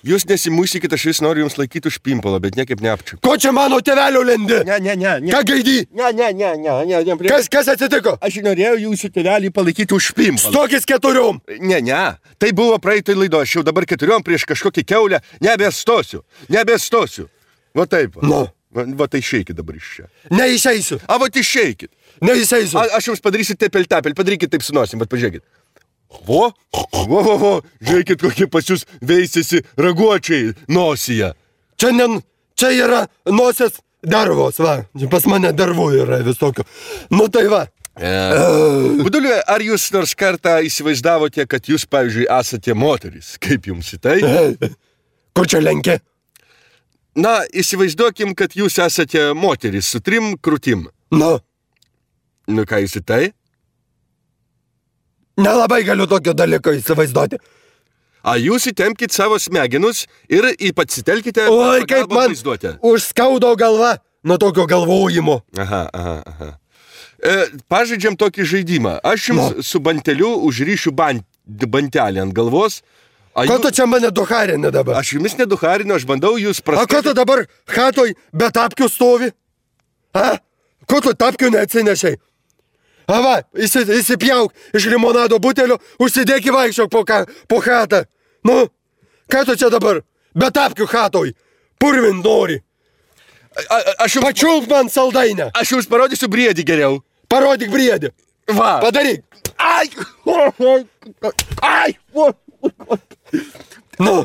Jūs nesimušykit, aš vis noriu jums laikyti už pimpalo, bet niekaip neapčiu. Ko čia mano tėvelio lendi? Ne. Ką gaidį? Ne. Kas atsitiko? Aš norėjau jūsų tėvelį palaikyti už pimpalą. Stokis 4. Ne. Tai buvo praeitoj laido, aš jau dabar 4 prieš kažkokį keulę. Nebestosiu. Va taip. Nu. Va tai išeikit dabar iš čia. Neišeisiu. Va išeikit. Neišeisiu. Aš jums padarysiu tepel, padarykit taip su nosim, bet pažiūrėkit. Vo, žiūrėkit, kokie pas jūs veisėsi raguočiai nosyje. Čia yra nosies dervos, va. Pas mane dervų yra visokio. Nu tai va. Buduliu, ar jūs nors kartą įsivaizdavote, kad jūs, pavyzdžiui, esate moteris? Kaip jums į tai? Kur čia lenkia? Na, įsivaizduokim, kad jūs esate moteris su 3 krūtim. Nu ką jūs į tai? Nelabai galiu tokio dalyko įsivaizduoti. A jūs įtempkit savo smegenus ir pasitelkite Oi, kaip man vaizduotę. Užskaudo galva nuo tokio galvojimo. Aha. Pažaidžiam tokį žaidimą. Aš jums su banteliu užryšiu bantelį ant galvos. Ko tu čia mane duharini dabar? Aš jumis neduharinu, aš bandau jūs praskaitinti. A ko tu dabar chatoj be tapkių stovi? Ko tu tapkių neatsinešiai? Va, įsipjauk iš limonado butelio, užsidėk į vaikščiok po chatą. Nu, ką tu čia dabar? Be tapkių chatoj. Purvin nori. Pačiulk man saldainę. Aš jums parodysiu briedį geriau. Parodyk briedį. Va. Padaryk. Nu.